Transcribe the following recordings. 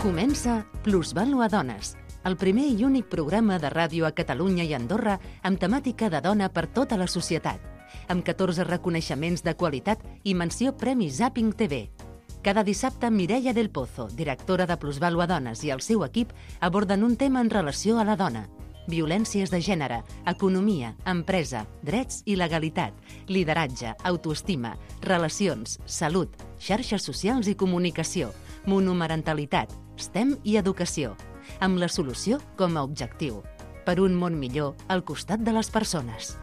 Comença Plusvàlua Dones, el primer i únic programa de ràdio a Catalunya i Andorra amb temàtica de dona per tota la societat, amb 14 reconeixements de qualitat i menció Premi Zapping TV. Cada dissabte, Mireia del Pozo, directora de Plusvàlua Dones, i el seu equip aborden un tema en relació a la dona. Violències de gènere, economia, empresa, drets i legalitat, lideratge, autoestima, relacions, salut, xarxes socials i comunicació, monomarentalitat, STEM i educació, amb la solució com a objectiu. Per un món millor al costat de les persones.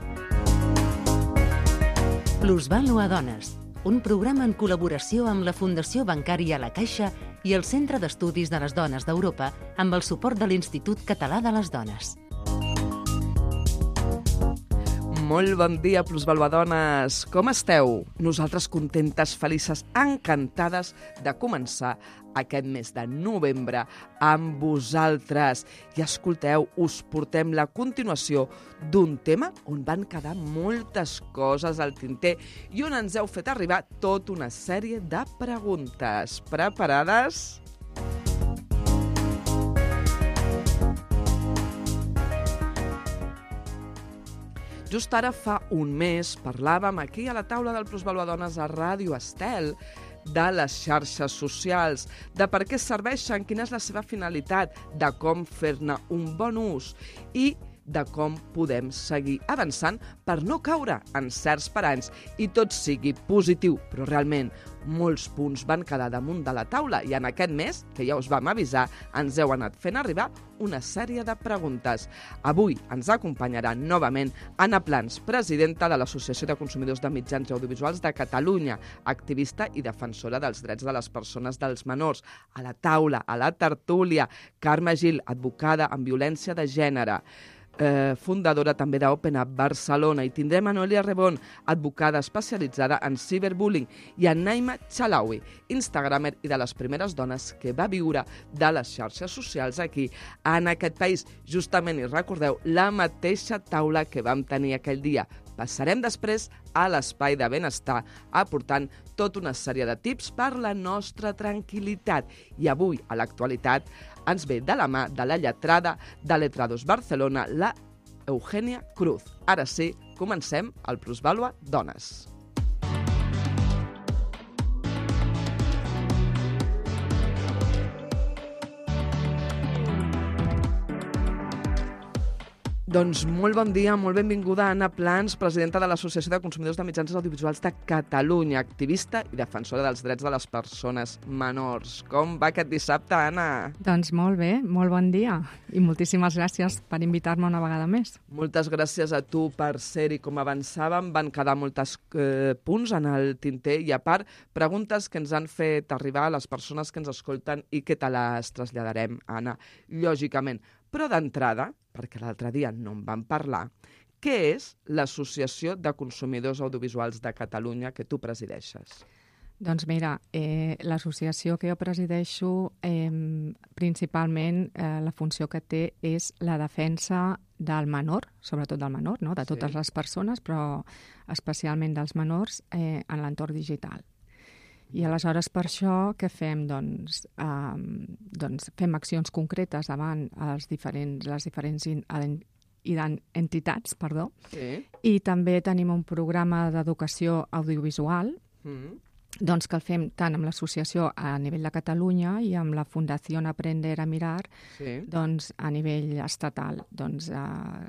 Plusvàlua Dones, un programa en col·laboració amb la Fundació Bancària La Caixa i el Centre d'Estudis de les Dones d'Europa amb el suport de l'Institut Català de les Dones. Molt bon dia, plusvaluadones. Com esteu? Nosaltres contentes, felices, encantades de començar aquest mes de novembre amb vosaltres. I escolteu, us portem la continuació d'un tema on van quedar moltes coses al tinter i on ens heu fet arribar tota una sèrie de preguntes. Preparades? Just ara fa un mes parlàvem aquí a la taula del Plusvàlua Dones a Ràdio Estel de les xarxes socials, de per què serveixen, quina és la seva finalitat, de com fer-ne un bon ús i de com podem seguir avançant per no caure en certs paranys i tot sigui positiu, però realment molts punts van quedar damunt de la taula i en aquest mes, que ja us vam avisar, ens heu anat fent arribar una sèrie de preguntes. Avui ens acompanyarà novament Anna Plans, presidenta de l'Associació de Consumidors de Mitjans Audiovisuals de Catalunya, activista i defensora dels drets de les persones dels menors. A la taula, a la tertúlia, Carme Gil, advocada en violència de gènere, fundadora també d'Open Up Barcelona, i tindrem a Noelia Rebón, advocada especialitzada en ciberbullying, i a Naima Chalawi, instagramer i de les primeres dones que va viure de les xarxes socials aquí en aquest país. Justament, i recordeu, la mateixa taula que vam tenir aquell dia. Passarem després a l'espai de benestar aportant tota una sèrie de tips per la nostra tranquil·litat. I avui, a l'actualitat, ens ve de la mà de la lletrada de Letrados Barcelona, la Eugènia Cruz. Ara sí, comencem el Plusvàlua Dones. Doncs molt bon dia, molt benvinguda Anna Plans, presidenta de l'Associació de Consumidors de Mitjans Audiovisuals de Catalunya, activista i defensora dels drets de les persones menors. Com va aquest dissabte, Anna? Doncs molt bé, molt bon dia i moltíssimes gràcies per invitar-me una vegada més. Moltes gràcies a tu per ser-hi. Com avançàvem, van quedar molts punts en el tinter i, a part, preguntes que ens han fet arribar a les persones que ens escolten i que te les traslladarem, Anna, lògicament. Però d'entrada, perquè l'altre dia no en vam parlar, què és l'Associació de Consumidors Audiovisuals de Catalunya que tu presideixes? Doncs mira, l'associació que jo presideixo, principalment la funció que té és la defensa del menor, sobretot del menor, no? De totes les persones, però especialment dels menors en l'entorn digital. I aleshores per això què fem? Doncs fem accions concretes davant les diferents entitats, i també tenim un programa d'educació audiovisual doncs que el fem tant amb l'associació a nivell de Catalunya i amb la Fundació Aprender a Mirar doncs, a nivell estatal. Doncs,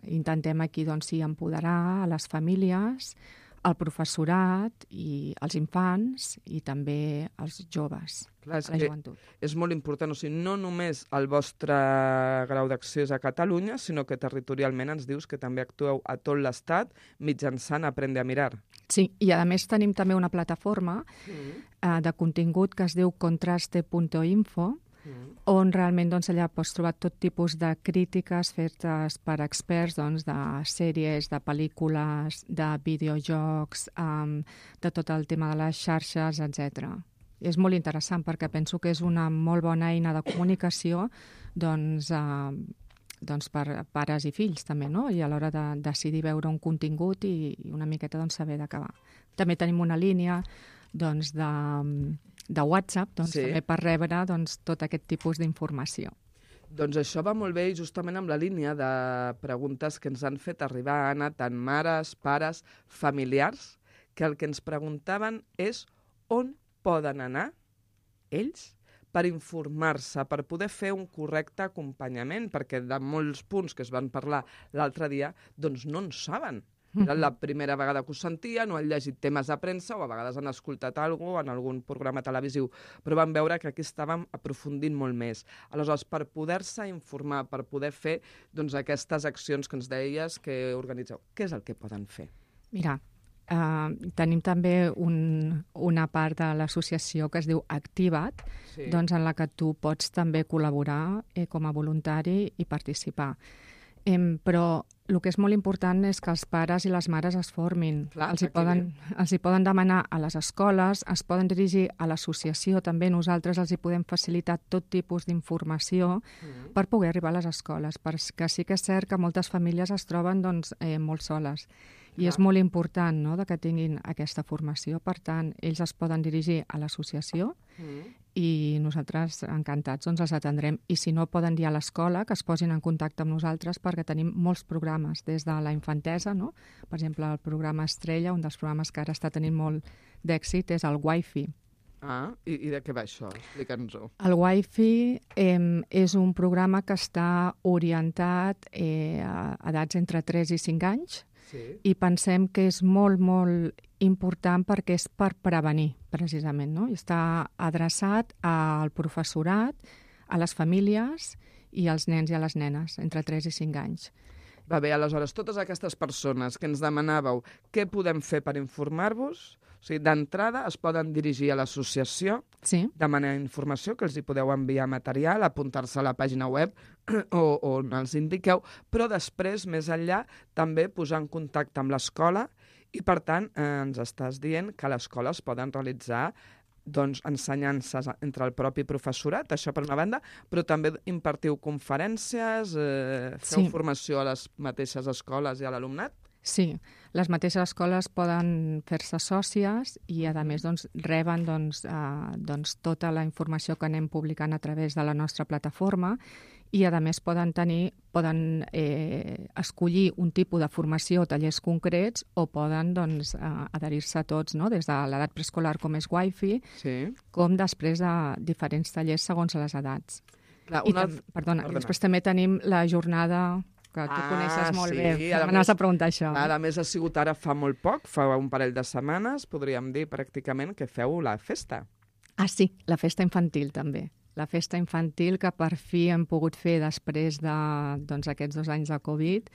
intentem aquí empoderar a les famílies, el professorat i els infants i també els joves, la joventut. És molt important, o sigui, no només el vostre grau d'acció és a Catalunya, sinó que territorialment ens dius que també actueu a tot l'Estat mitjançant Aprende a Mirar. Sí, i a més tenim també una plataforma de contingut que es diu contraste.info, on realment allà pots trobar tot tipus de crítiques fetes per experts de sèries, de pel·lícules, de videojocs, de tot el tema de les xarxes, etc. És molt interessant perquè penso que és una molt bona eina de comunicació per pares i fills també, no? I a l'hora de decidir veure un contingut i una miqueta saber d'acabar. També tenim una línia de WhatsApp, també per rebre tot aquest tipus d'informació. Doncs això va molt bé i justament amb la línia de preguntes que ens han fet arribar, Anna, tant mares, pares, familiars, que el que ens preguntaven és on poden anar ells per informar-se, per poder fer un correcte acompanyament, perquè de molts punts que es van parlar l'altre dia, doncs no en saben. Era la primera vegada que ho sentien, o han llegit temes de premsa, o a vegades han escoltat alguna cosa en algun programa televisiu, però van veure que aquí estàvem aprofundint molt més. Aleshores, per poder-se informar, per poder fer aquestes accions que ens deies que organitzeu, què és el que poden fer? Mira, tenim també una part de l'associació que es diu Activa't, en la que tu pots també col·laborar com a voluntari i participar. Però el que és molt important és que els pares i les mares es formin. Els hi poden demanar a les escoles, es poden dirigir a l'associació, també nosaltres els hi podem facilitar tot tipus d'informació per poder arribar a les escoles, perquè sí que és cert que moltes famílies es troben molt soles. I és molt important que tinguin aquesta formació. Per tant, ells es poden dirigir a l'associació i nosaltres, encantats, els atendrem. I si no, poden dir a l'escola que es posin en contacte amb nosaltres perquè tenim molts programes des de la infantesa. Per exemple, el programa Estrella, un dels programes que ara està tenint molt d'èxit, és el Wi-Fi. I de què va això? Explica'ns-ho. El Wi-Fi és un programa que està orientat a edats entre 3 i 5 anys, i pensem que és molt, molt important perquè és per prevenir, precisament. I està adreçat al professorat, a les famílies i als nens i a les nenes, entre 3 i 5 anys. Va bé, aleshores, totes aquestes persones que ens demanàveu què podem fer per informar-vos, o sigui, d'entrada es poden dirigir a l'associació, demanar informació, que els hi podeu enviar material, apuntar-se a la pàgina web on els indiqueu, però després, més enllà, també posar en contacte amb l'escola i, per tant, ens estàs dient que a l'escola es poden realitzar ensenyances entre el propi professorat, això per una banda, però també impartiu conferències, feu formació a les mateixes escoles i a l'alumnat? Sí, les mateixes escoles poden fer-se sòcies i, a més, reben tota la informació que anem publicant a través de la nostra plataforma i, a més, poden escollir un tipus de formació o tallers concrets o poden adherir-se a tots, des de l'edat preescolar, com és Wi-Fi, com després de diferents tallers segons les edats. Perdona, després també tenim la jornada que tu coneixes molt bé. M'anaves a preguntar això. A més, ha sigut ara fa molt poc, fa un parell de setmanes, podríem dir pràcticament que feu la festa. Sí, la festa infantil també. La festa infantil que per fi hem pogut fer després d'aquests 2 anys de Covid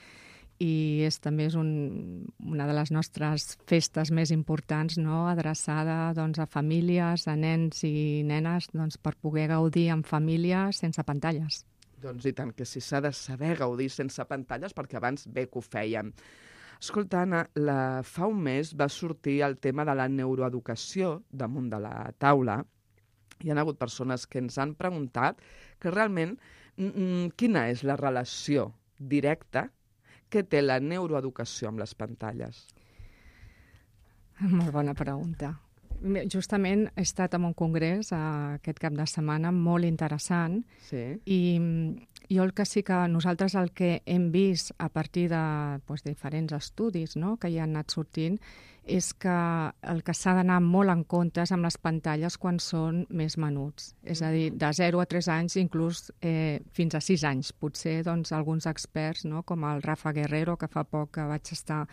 i també és una de les nostres festes més importants, adreçada a famílies, a nens i nenes, per poder gaudir en família sense pantalles. Doncs i tant, que si s'ha de saber gaudir sense pantalles, perquè abans bé que ho fèiem. Escolta, Anna, fa un mes va sortir el tema de la neuroeducació damunt de la taula. Hi ha hagut persones que ens han preguntat que realment quina és la relació directa que té la neuroeducació amb les pantalles. Molt bona pregunta. Justament he estat en un congrés aquest cap de setmana molt interessant i jo el que sí que nosaltres el que hem vist a partir de diferents estudis que hi han anat sortint és que el que s'ha d'anar molt en compte és amb les pantalles quan són més menuts. És a dir, de 0 a 3 anys, inclús fins a 6 anys. Potser alguns experts, com el Rafa Guerrero, que fa poc que vaig estar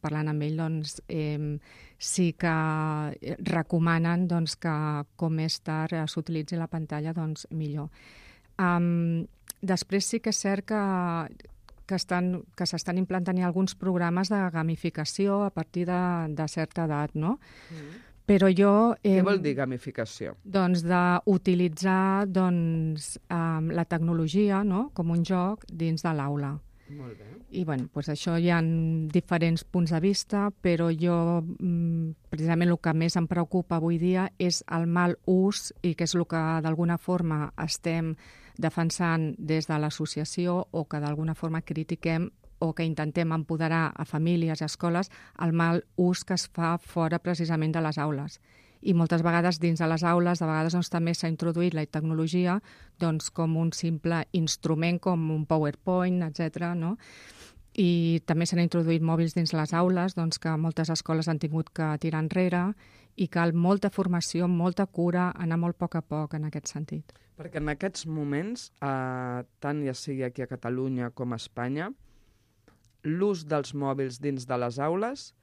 parlant amb ell, sí que recomanen que com més tard s'utilitzi la pantalla, millor. Després sí que és cert que s'estan implantant alguns programes de gamificació a partir de certa edat, no? Però jo... Què vol dir gamificació? D'utilitzar la tecnologia com un joc dins de l'aula. Molt bé. I això hi ha diferents punts de vista, però jo precisament el que més em preocupa avui dia és el mal ús i que és el que d'alguna forma estem defensant des de l'associació o que d'alguna forma critiquem o que intentem empoderar a famílies i escoles el mal ús que es fa fora precisament de les aules. I moltes vegades dins de les aules, de vegades doncs, també s'ha introduït la tecnologia doncs, com un simple instrument, com un PowerPoint, etc. No? I també s'han introduït mòbils dins les aules, doncs, que moltes escoles han tingut que tirar enrere, i cal molta formació, molta cura, anar molt a poc en aquest sentit. Perquè en aquests moments, tant ja sigui aquí a Catalunya com a Espanya, l'ús dels mòbils dins de les aules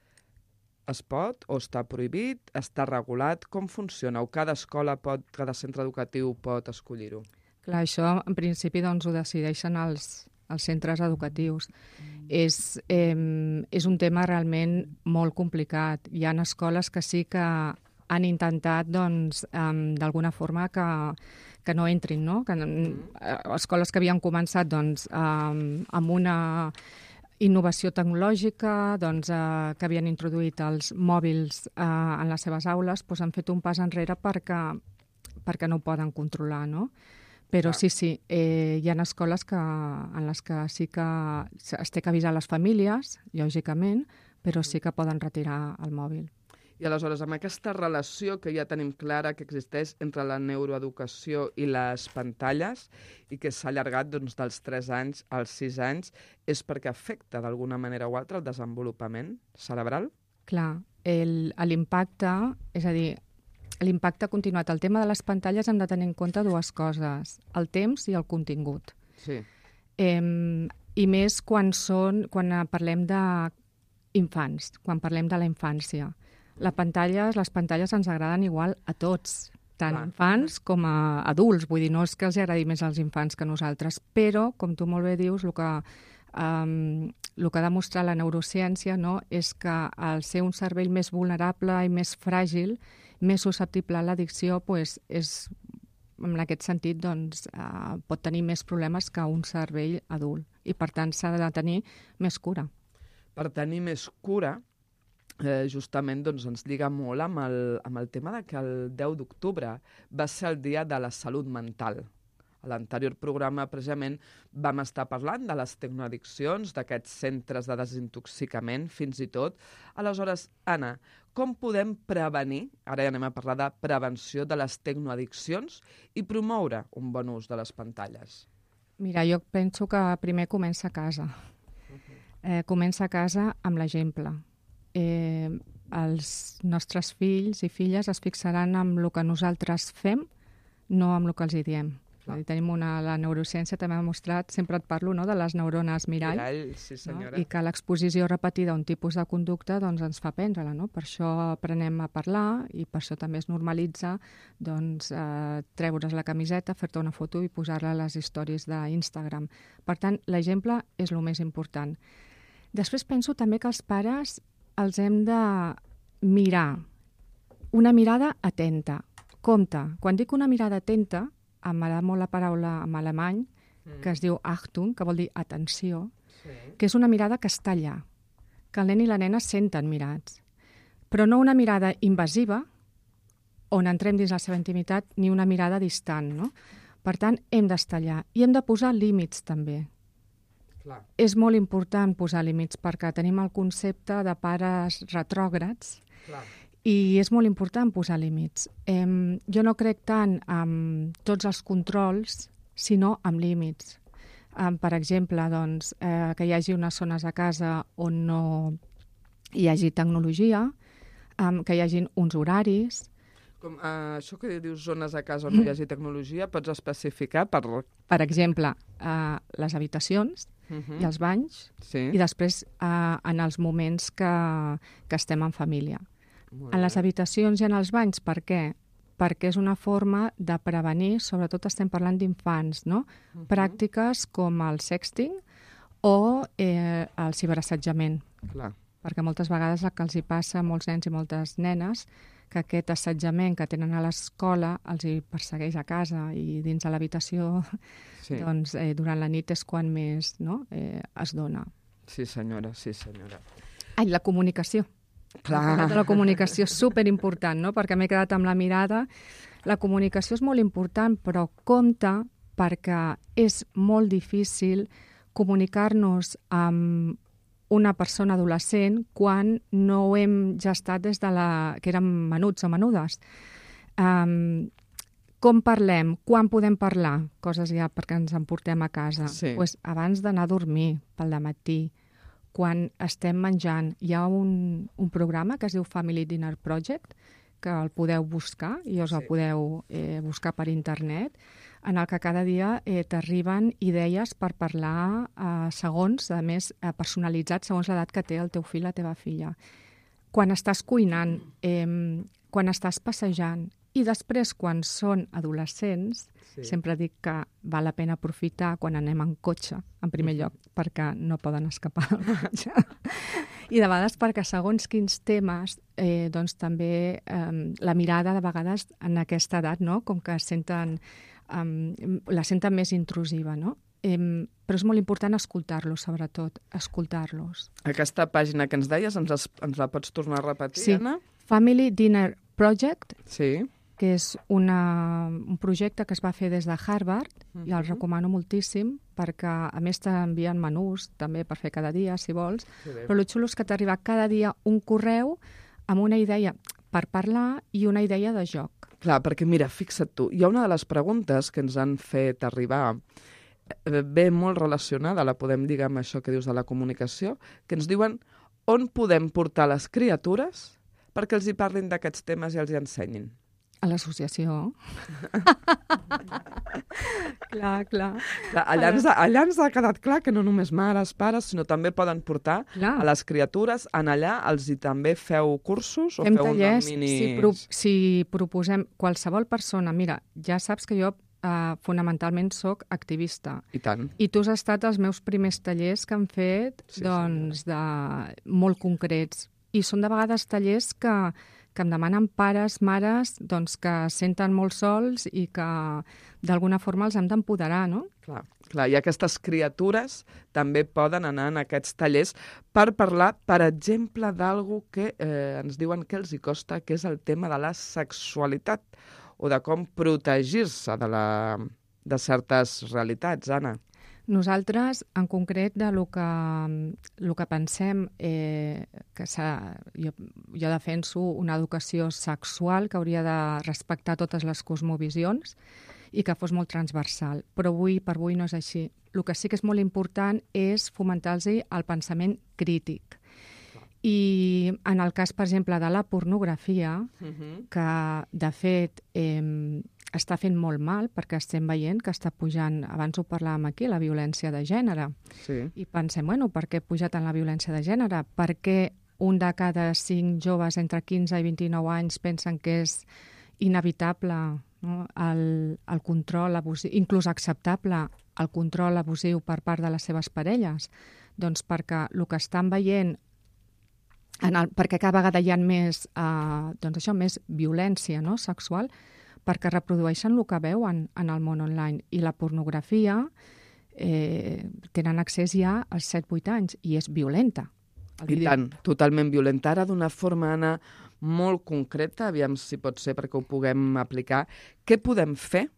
es pot o està prohibit, està regulat? Com funciona? O cada escola, cada centre educatiu pot escollir-ho? Clar, això en principi doncs, ho decideixen els centres educatius. És un tema realment molt complicat. Hi ha escoles que sí que han intentat doncs, d'alguna forma que no entrin, no? Escoles que havien començat doncs, amb una innovació tecnològica, doncs, que havien introduït els mòbils en les seves aules, doncs han fet un pas enrere perquè no ho poden controlar, no? Però sí, hi ha escoles en les que sí que es té que avisar les famílies, lògicament, però sí que poden retirar el mòbil. I aleshores, amb aquesta relació que ja tenim clara que existeix entre la neuroeducació i les pantalles i que s'ha allargat doncs, dels 3 anys als 6 anys, és perquè afecta d'alguna manera o altra el desenvolupament cerebral? Clar, l'impacte, és a dir, l'impacte continuat. El tema de les pantalles hem de tenir en compte 2 coses, el temps i el contingut. Sí. I més quan parlem d'infants, quan parlem de la infància. Les pantalles ens agraden igual a tots, tant infants com a adults. Vull dir, no és que els agradi més als infants que a nosaltres, però, com tu molt bé dius, el que ha demostrat la neurociència, no, és que al ser un cervell més vulnerable i més fràgil, més susceptible a l'addicció, doncs en aquest sentit doncs, pot tenir més problemes que un cervell adult. I, per tant, s'ha de tenir més cura. Per tenir més cura, justament doncs, ens lliga molt amb el tema de que el 10 d'octubre va ser el dia de la salut mental. A l'anterior programa, precisament, vam estar parlant de les tecnoaddiccions, d'aquests centres de desintoxicament, fins i tot. Aleshores, Anna, com podem prevenir, ara ja anem a parlar de prevenció de les tecnoaddiccions i promoure un bon ús de les pantalles? Mira, jo penso que primer comença a casa. Comença a casa amb l'exemple. Els nostres fills i filles es fixaran en el que nosaltres fem, no amb el que els hi diem. Tenim la neurociència també ha demostrat, sempre et parlo, no, de les neurones mirall, sí, senyora. No? I que l'exposició repetida a un tipus de conducta doncs, ens fa prendre-la. No? Per això aprenem a parlar i per això també es normalitza doncs, treure's la camiseta, fer-te una foto i posar-la a les històries d'Instagram. Per tant, l'exemple és el més important. Després penso també que els pares els hem de mirar, una mirada atenta. Compte, quan dic una mirada atenta, m'agrada molt la paraula en alemany, que es diu Achtung, que vol dir atenció, que és una mirada que està allà, que el nen i la nena senten mirats. Però no una mirada invasiva, on entrem dins la seva intimitat, ni una mirada distant, no? Per tant, hem d'estar allà. I hem de posar límits, també. Clar. És molt important posar límits, perquè tenim el concepte de pares retrògrads, Clar. I és molt important posar límits. Jo no crec tant en tots els controls, sinó en límits. Per exemple, doncs, que hi hagi unes zones a casa on no hi hagi tecnologia, que hi hagi uns horaris. Això que dius zones a casa on no hi hagi tecnologia, pots especificar Per exemple, les habitacions i els banys, i després en els moments que estem en família. En les habitacions i en els banys, per què? Perquè és una forma de prevenir, sobretot estem parlant d'infants, no? Pràctiques com el sexting o el ciberassetjament. Clar. Perquè moltes vegades el que els hi passa a molts nens i moltes nenes, que aquest assetjament que tenen a l'escola els hi persegueix a casa i dins de l'habitació, doncs durant la nit és quan més es dona. Sí, senyora, sí, senyora. Ai, la comunicació. Clar. La comunicació és superimportant, no? Perquè m'he quedat amb la mirada. La comunicació és molt important, però compte perquè és molt difícil comunicar-nos amb una persona adolescent quan no ho hem gestat des de que érem menuts o menudes. Com parlem? Quan podem parlar? Coses ja perquè ens en portem a casa. Sí. Pues abans d'anar a dormir, pel dematí, quan estem menjant. Hi ha un programa que es diu Family Dinner Project, que el podeu buscar, i us el podeu buscar per internet, en el que cada dia t'arriben idees per parlar segons, a més, personalitzats segons l'edat que té el teu fill o la teva filla. Quan estàs cuinant, quan estàs passejant, i després, quan són adolescents, sempre dic que val la pena aprofitar quan anem en cotxe, en primer lloc, perquè no poden escapar del cotxe. I de vegades perquè segons quins temes, doncs també la mirada de vegades en aquesta edat, no? Com que la senten més intrusiva, no? Però és molt important escoltar-los, sobretot, escoltar-los. Aquesta pàgina que ens deies, ens la pots tornar a repetir, Anna? Family Dinner Project, sí, que és un projecte que es va fer des de Harvard, i el recomano moltíssim, perquè a més t'envien menús també per fer cada dia, si vols, però el xulo és que t'arriba cada dia un correu amb una idea per parlar i una idea de joc. Clar, perquè mira, fixa't tu, hi ha una de les preguntes que ens han fet arribar, ve molt relacionada, la podem dir amb això que dius de la comunicació, que ens diuen on podem portar les criatures perquè els hi parlin d'aquests temes i els hi ensenyin. A l'associació. Clar. Allà ens ha quedat clar que no només mares, pares, sinó també poden portar a les criatures, en allà els hi també feu cursos o fem feu tallers, mini... si proposem qualsevol persona, mira, ja saps que jo fonamentalment soc activista. I tant. I tu has estat als meus primers tallers que han fet, molt concrets. I són de vegades tallers que em demanen pares, mares, doncs, que senten molt sols i que d'alguna forma els hem d'empoderar, no? Clar, i aquestes criatures també poden anar en aquests tallers per parlar, per exemple, d'algú que ens diuen que els hi costa, que és el tema de la sexualitat o de com protegir-se de certes realitats, Anna. Nosaltres, en concret, de lo que pensem, que jo defenso una educació sexual que hauria de respectar totes les cosmovisions i que fos molt transversal. Però per avui no és així. El que sí que és molt important és fomentar-los el pensament crític. I en el cas, per exemple, de la pornografia, que, de fet, està fent molt mal, perquè estem veient que està pujant, abans ho parlàvem aquí, la violència de gènere. Sí. I pensem, per què ha pujat en la violència de gènere? Per què un de cada 5 joves entre 15 i 29 anys pensen que és inevitable, no? el control abusiu, inclús acceptable el control abusiu per part de les seves parelles? Doncs perquè el que estan veient perquè cada vegada hi ha més, més violència, no? Sexual, perquè reprodueixen el que veuen en el món online. I la pornografia tenen accés ja als 7-8 anys i és violenta. I tant, totalment violenta. Ara, d'una forma, Anna, molt concreta, aviam si pot ser perquè ho puguem aplicar, què podem fer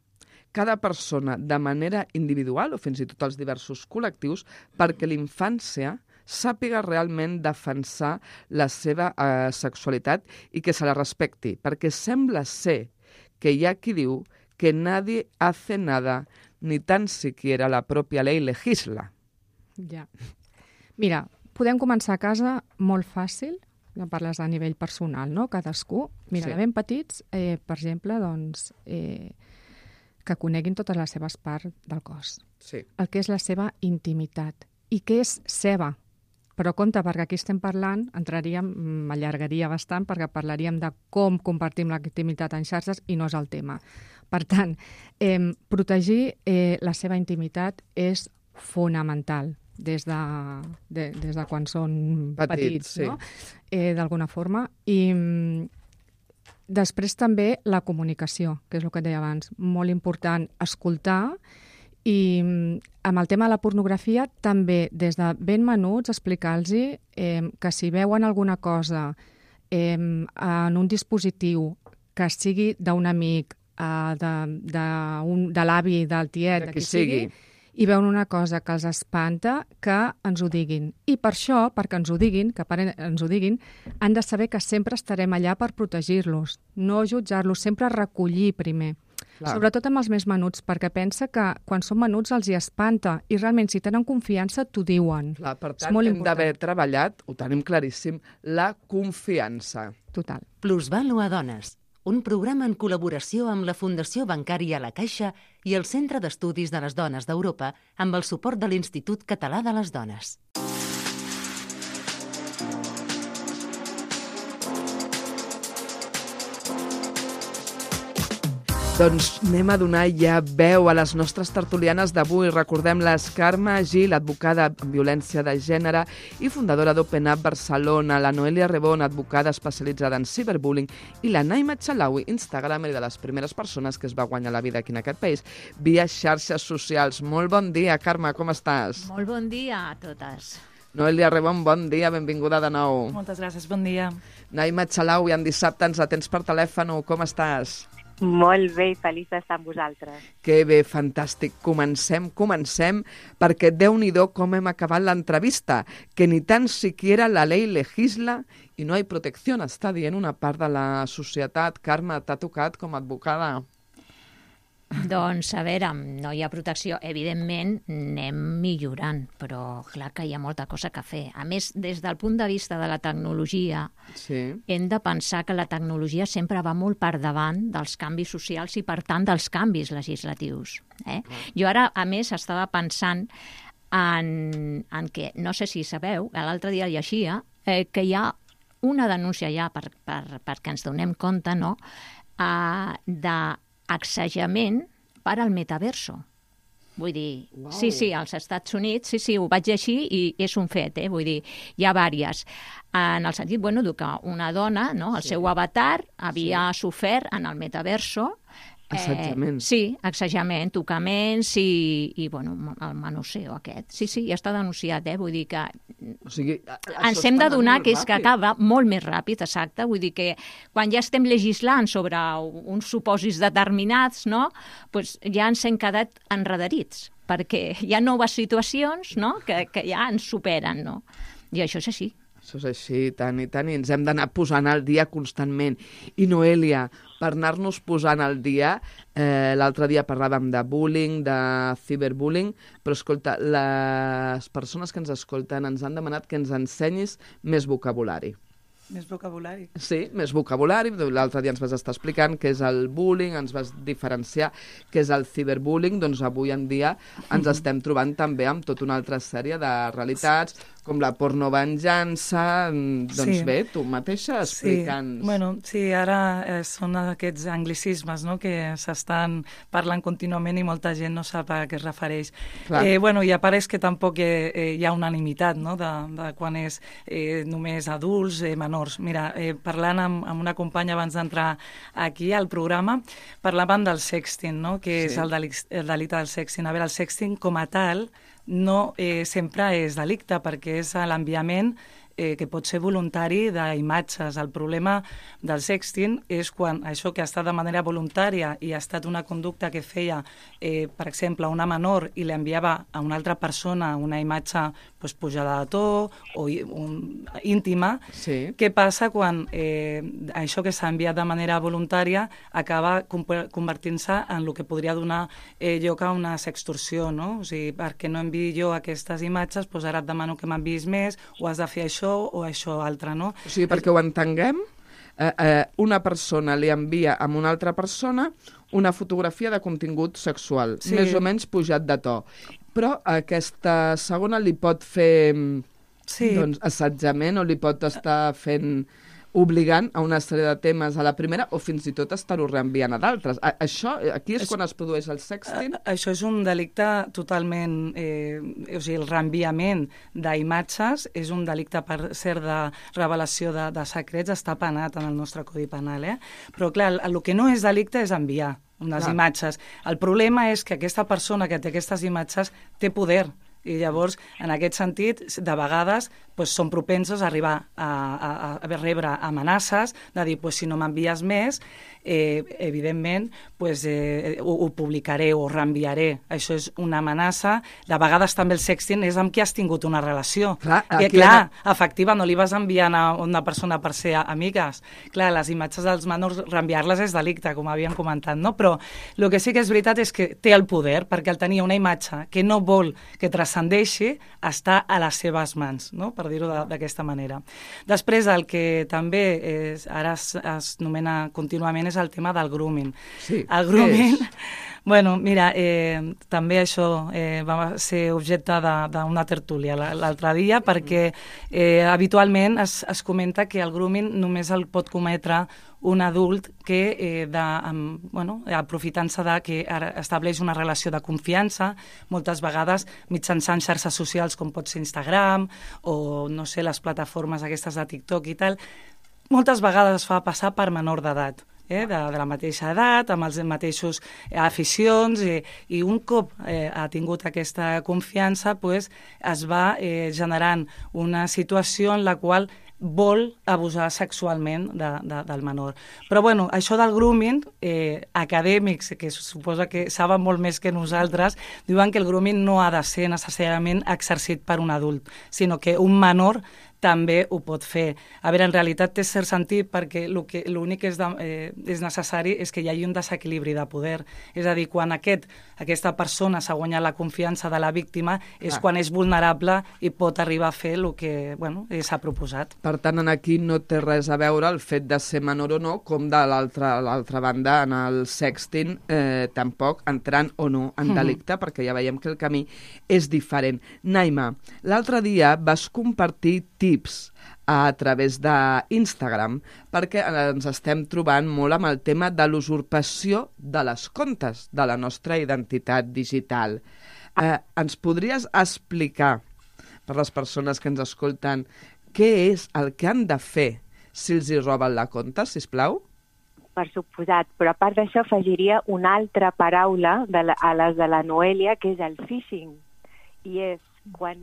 cada persona de manera individual o fins i tot els diversos col·lectius perquè l'infància sàpiga realment defensar la seva sexualitat i que se la respecti, perquè sembla ser que hi ha qui diu que nadie hace nada, ni tan siquiera la pròpia ley legisla. Ja. Mira, podem començar a casa molt fàcil, ja parles a nivell personal, no? Cadascú. Mira, de ben petits, per exemple, doncs, que coneguin totes les seves parts del cos. Sí. El que és la seva intimitat i què és seva. Però compte, perquè aquí estem parlant, m'allargaria bastant, perquè parlaríem de com compartim la intimitat en xarxes i no és el tema. Per tant, protegir la seva intimitat és fonamental des de quan són petits, no? D'alguna forma. I després també la comunicació, que és el que et deia abans. Molt important escoltar. I amb el tema de la pornografia també des de ben menuts explicar-los que si veuen alguna cosa en un dispositiu que sigui d'un amic, de l'avi, del tiet, de qui sigui, i veuen una cosa que els espanta, que ens ho diguin. I per això, perquè ens ho diguin, han de saber que sempre estarem allà per protegir-los, no jutjar-los, sempre recollir primer. Clar. Sobretot amb els més menuts, perquè pensa que quan són menuts els hi espanta i realment si tenen confiança t'ho diuen. Clar, per tant, hem d'haver treballat, ho tenim claríssim, la confiança. Total. Plusvàlua Dones, un programa en col·laboració amb la Fundació Bancària La Caixa i el Centre d'Estudis de les Dones d'Europa amb el suport de l'Institut Català de les Dones. Doncs anem a donar ja veu a les nostres tertulianes d'avui. Recordem-les: Carme Gil, advocada en violència de gènere i fundadora d'Open Up Barcelona, la Noelia Rebón, advocada especialitzada en ciberbullying, i la Naima Chalaui, instagramer de les primeres persones que es va guanyar la vida aquí en aquest país via xarxes socials. Molt bon dia, Carme, com estàs? Molt bon dia a totes. Noelia Rebón, bon dia, benvinguda de nou. Moltes gràcies, bon dia. Naima Chalaui, en dissabte ens atens per telèfon, com estàs? Molt bé i feliç d'estar amb vosaltres. Que bé, fantàstic. Comencem, perquè Déu-n'hi-do com hem acabat l'entrevista, que ni tan siquiera la ley legisla i no hay protección, està dient una part de la societat. Carme, t'ha tocat com a advocada? Doncs, a veure, no hi ha protecció. Evidentment, anem millorant, però clar que hi ha molta cosa que fer. A més, des del punt de vista de la tecnologia, hem de pensar que la tecnologia sempre va molt per davant dels canvis socials i, per tant, dels canvis legislatius. Jo ara, a més, estava pensant en que, no sé si sabeu, l'altre dia llegia que hi ha una denúncia ja, perquè ens donem compte, no?, d'accejament per al metaverso. Vull dir, wow. Sí, als Estats Units, sí, ho vaig llegir i és un fet, vull dir, hi ha vàries. En el sentit, que una dona, no?, el seu avatar havia sofert en el metaverso assajament. Sí, assajament, tocaments i el manoseo aquest. Sí, ja està denunciat, vull dir que o sigui, ens hem d'adonar que és que acaba molt més ràpid, exacte, vull dir que quan ja estem legislant sobre uns supòsits determinats, no?, doncs ja ens hem quedat enredarits, perquè hi ha noves situacions, no?, que ja ens superen, no? I això és així. Això és així, tant i ens hem d'anar posant al dia constantment. I Noelia, per anar-nos posant al dia, l'altre dia parlàvem de bullying, de ciberbullying, però escolta, les persones que ens escolten ens han demanat que ens ensenyis més vocabulari. Més vocabulari? Sí, més vocabulari. L'altre dia ens vas estar explicant què és el bullying, ens vas diferenciar què és el ciberbullying, doncs avui en dia ens estem trobant també amb tota una altra sèrie de realitats, com la pornovenjança, doncs bé, tu mateixa explica'ns. Sí, ara són aquests anglicismes, no?, que s'estan parlant contínuament i molta gent no sap a què es refereix. I apareix que tampoc hi ha unanimitat, no?, de quan és només adults, menors. Mira, parlant amb una companya abans d'entrar aquí al programa, parlaven del sexting, no?, que és el delicte del sexting. A veure, el sexting com a tal no sempre és delicte, perquè és l'enviament que pot ser voluntari d'imatges. El problema del sexting és quan això que ha estat de manera voluntària i ha estat una conducta que feia, per exemple, una menor i l'enviava a una altra persona una imatge pujada de to o íntima. Què passa quan això que s'ha enviat de manera voluntària acaba convertint-se en el que podria donar lloc a una sextorsió, no? O sigui, perquè no enviï jo aquestes imatges, doncs ara et demano que m'enviïs més, o has de fer això o això altre, no? O sigui, perquè ho entenguem, una persona li envia a una altra persona una fotografia de contingut sexual, més o menys pujat de to. Però aquesta segona li pot fer assetjament o li pot estar fent obligant a una sèrie de temes a la primera o fins i tot estar-ho reenviant a d'altres. Això, aquí és quan es produeix el sexting? Això és un delicte totalment... o sigui, el reenviament d'imatges és un delicte, per cert, de revelació de secrets, està penat en el nostre Codi Penal, Però, clar, el que no és delicte és enviar unes imatges. El problema és que aquesta persona que té aquestes imatges té poder I llavors, en aquest sentit, de vegades són propensos a arribar a rebre amenaces de dir, si no m'envies més, evidentment, ho publicaré o reenviaré. Això és una amenaça. De vegades també el sexting és amb qui has tingut una relació. Clar, efectiva, no li vas enviant a una persona per ser amigues. Clar, les imatges dels menors, reenviar-les és delicte, com havíem comentat, no? Però el que sí que és veritat és que té el poder, perquè al tenir una imatge que no vol que transcendeixi, està a les seves mans, no? Per dir-ho d'aquesta manera. Després, el que també ara es nomena contínuament és el tema del grooming. Sí, el grooming, bueno, mira, també això va ser objecte d'una tertúlia l'altre dia, perquè habitualment es comenta que el grooming només el pot cometre un adult que, aprofitant-se que estableix una relació de confiança, moltes vegades mitjançant xarxes socials com pot ser Instagram o, no sé, les plataformes aquestes de TikTok i tal, moltes vegades es fa passar per menor d'edat. De la mateixa edat, amb els mateixos aficions, i un cop ha tingut aquesta confiança, es va generant una situació en la qual vol abusar sexualment del menor. Però, bueno, això del grooming, acadèmics, que suposa que saben molt més que nosaltres, diuen que el grooming no ha de ser necessàriament exercit per un adult, sinó que un menor també ho pot fer. A veure, en realitat té cert sentit perquè l'únic que és necessari és que hi hagi un desequilibri de poder. És a dir, quan aquesta persona s'ha guanyat la confiança de la víctima és quan és vulnerable i pot arribar a fer el que s'ha proposat. Per tant, aquí no té res a veure el fet de ser menor o no, com de l'altra banda, en el sexting, tampoc entrant o no en delicte, perquè ja veiem que el camí és diferent. Naima, l'altre dia vas compartir tips a través d'Instagram perquè ens estem trobant molt amb el tema de l'usurpació de les comptes de la nostra identitat digital. Ens podries explicar, per les persones que ens escolten, què és el que han de fer si els hi roben la compte, sisplau? Per suposat, però a part d'això afegiria una altra paraula a les de la Noelia, que és el phishing. I és quan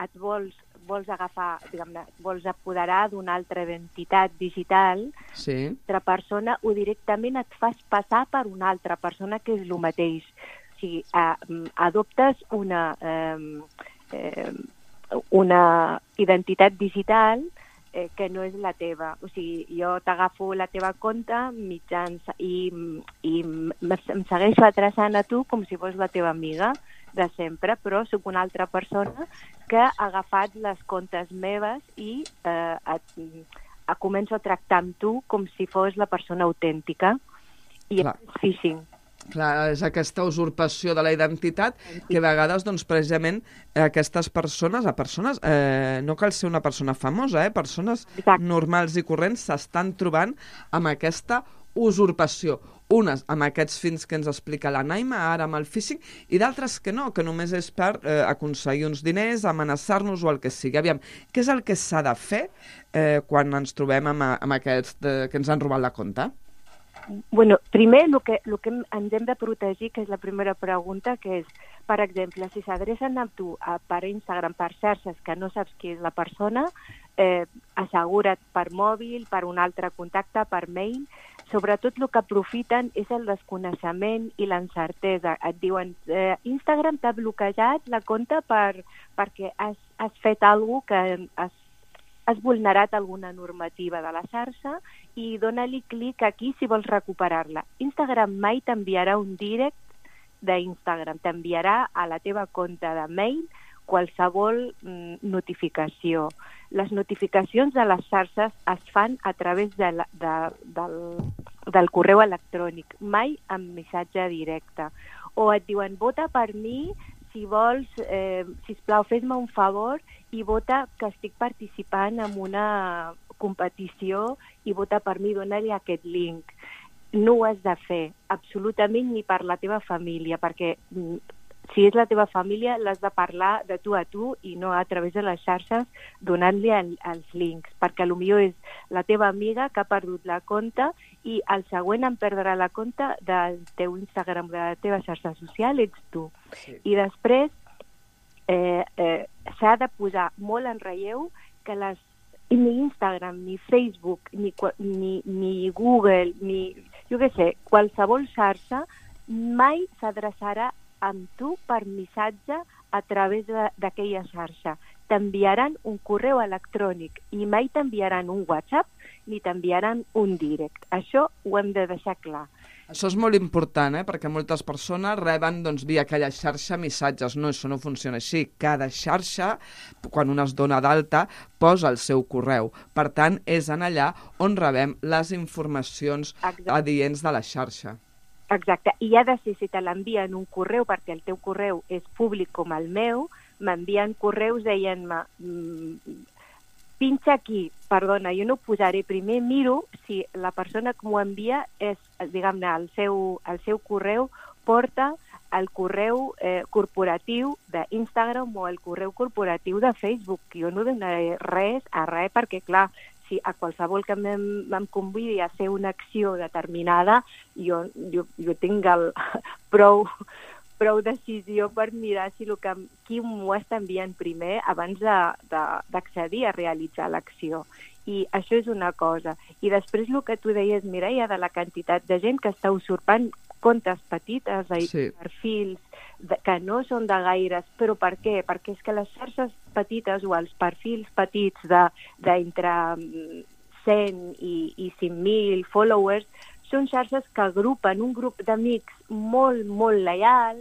et vols agafar, diguem-ne, vols apoderar d'una altra identitat digital, altra persona, o directament et fas passar per una altra persona que és el mateix. O sigui, adoptes una identitat digital que no és la teva. O sigui, jo t'agafo la teva compte i em segueixo adreçant a tu com si fos la teva amiga de sempre, però soc una altra persona que ha agafat les comptes meves i començo a tractar amb tu com si fos la persona autèntica. I és phishing. Clar, és aquesta usurpació de la identitat que a vegades, doncs, precisament, aquestes persones, no cal ser una persona famosa, persones normals i corrents s'estan trobant amb aquesta usurpació. Unes amb aquests fins que ens explica la Naima, ara amb el phishing, i d'altres que no, que només és per aconseguir uns diners, amenaçar-nos o el que sigui. Aviam, què és el que s'ha de fer quan ens trobem amb aquests que ens han robat la compte? Bueno, primer, el que ens hem de protegir, que és la primera pregunta, que és, per exemple, si s'adrecen a tu per Instagram, per xarxes, que no saps qui és la persona, assegura't per mòbil, per un altre contacte, per mail. Sobretot el que aprofiten és el desconeixement i l'encertesa. Et diuen, Instagram t'ha bloquejat la compte perquè has fet alguna cosa que has vulnerat alguna normativa de la xarxa i dona-li clic aquí si vols recuperar-la. Instagram mai t'enviarà un direct d'Instagram, t'enviarà a la teva compte de mail qualsevol notificació. Les notificacions de les xarxes es fan a través del correu electrònic, mai amb missatge directe. O et diuen, vota per mi, si vols, sisplau, fes-me un favor i vota que estic participant en una competició i vota per mi, dona-li aquest link. No ho has de fer, absolutament, ni per la teva família, perquè si és la teva família l'has de parlar de tu a tu i no a través de les xarxes donant-li els links, perquè potser és la teva amiga que ha perdut la compte i el següent en perdrà la compte del teu Instagram, de la teva xarxa social, ets tu. Sí. I després s'ha de posar molt en relleu que ni Instagram, ni Facebook, ni Google, ni, jo què sé, qualsevol xarxa mai s'adreçarà amb tu per missatge a través d'aquella xarxa. T'enviaran un correu electrònic i mai t'enviaran un WhatsApp ni t'enviaran un direct. Això ho hem de deixar clar. Això és molt important, perquè moltes persones reben via aquella xarxa missatges. No, això no funciona així. Cada xarxa, quan una es dona d'alta, posa el seu correu. Per tant, és en allà on rebem les informacions adients de la xarxa. Exacte. I ha de ser, si te l'envien un correu, perquè el teu correu és públic com el meu, m'envien correus deien-me pinxa aquí, perdona, jo no ho posaré primer, miro si la persona que m'ho envia és, diguem-ne, el seu correu porta el correu corporatiu d'Instagram o el correu corporatiu de Facebook. Jo no donaré res a res perquè, clar, si a qualsevol que em convidi a fer una acció determinada, jo tinc prou decisió per mirar si qui m'ho està enviant primer abans d'accedir a realitzar l'acció. I això és una cosa. I després el que tu deies, Mireia, de la quantitat de gent que està usurpant comptes petites, perfils que no són de gaires, però per què? Perquè és que les xarxes petites o els perfils petits d'entre 100 i 5.000 followers són xarxes que agrupen un grup d'amics molt, molt lleial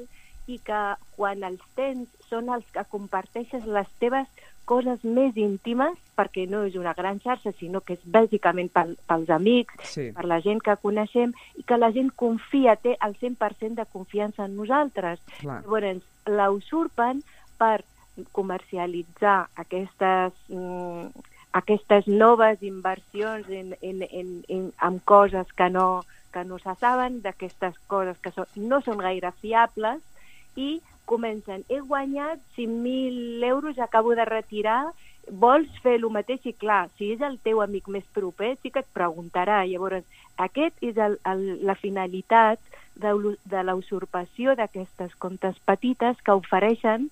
i que quan els tens són els que comparteixes les teves coses més íntimes, perquè no és una gran xarxa, sinó que és bàsicament pels amics, per la gent que coneixem, i que la gent confia, té el 100% de confiança en nosaltres. Llavors, la usurpen per comercialitzar aquestes noves inversions en coses que no se saben, d'aquestes coses que no són gaire fiables, i comencen, he guanyat 5.000 euros, acabo de retirar, vols fer el mateix? I clar, si és el teu amic més proper, sí que et preguntarà. Llavors, aquest és la finalitat de la usurpació d'aquestes comptes petites que ofereixen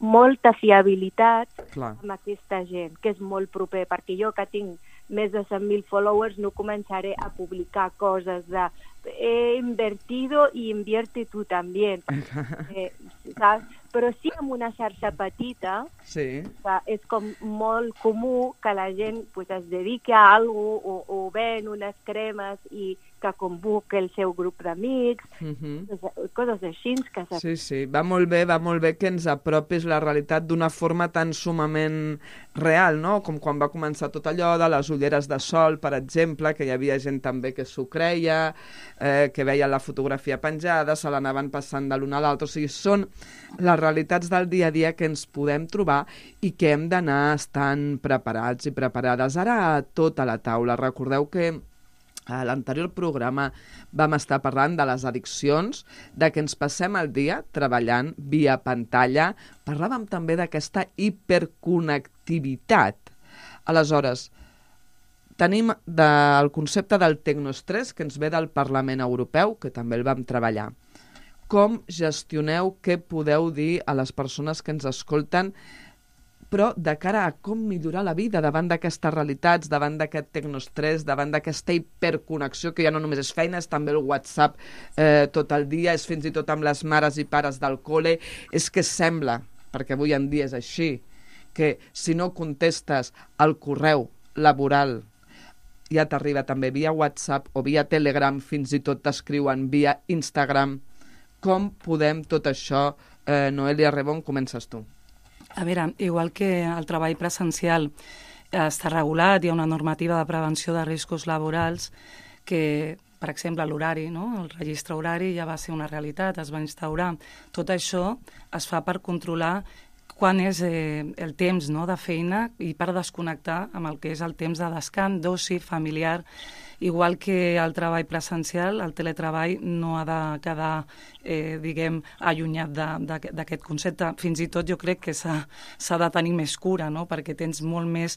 molta fiabilitat amb aquesta gent, que és molt proper, perquè jo que tinc més de 100.000 followers no començaré a publicar coses de he invertido y invierte tú también. ¿Sabes? Però sí, en una xarxa petita, és com molt comú que la gent es dediqui a alguna cosa o ven unes cremes i que convoque el seu grup d'amics, coses així. Sí, va molt bé que ens apropis la realitat d'una forma tan sumament real, no? Com quan va començar tot allò de les ulleres de sol, per exemple, que hi havia gent també que s'ho creia, que veia la fotografia penjada, se l'anaven passant de l'un a l'altre. O sigui, són les realitats del dia a dia que ens podem trobar i que hem d'anar estant preparats i preparades. Ara, a tota la taula, recordeu que a l'anterior programa vam estar parlant de les addiccions, de que ens passem el dia treballant via pantalla. Parlàvem també d'aquesta hiperconnectivitat. Aleshores, tenim el concepte del tecnoestrès, que ens ve del Parlament Europeu, que també el vam treballar. Com gestioneu, què podeu dir a les persones que ens escolten, però de cara a com millorar la vida davant d'aquestes realitats, davant d'aquest tecnoestrès, davant d'aquesta hiperconnexió, que ja no només és feina, és també el WhatsApp tot el dia, és fins i tot amb les mares i pares del col·le. És que sembla, perquè avui en dia és així, que si no contestes al correu laboral ja t'arriba també via WhatsApp o via Telegram, fins i tot t'escriuen via Instagram. Com podem tot això? Noelia Rebón, comences tu. A veure, igual que el treball presencial està regulat, hi ha una normativa de prevenció de riscos laborals que, per exemple, l'horari, no? El registre horari ja va ser una realitat, es va instaurar. Tot això es fa per controlar quan és el temps de feina i per desconnectar amb el que és el temps de descans, d'oci, familiar. Igual que el treball presencial, el teletreball no ha de quedar, diguem, allunyat d'aquest concepte. Fins i tot jo crec que s'ha de tenir més cura, no? Perquè tens molt més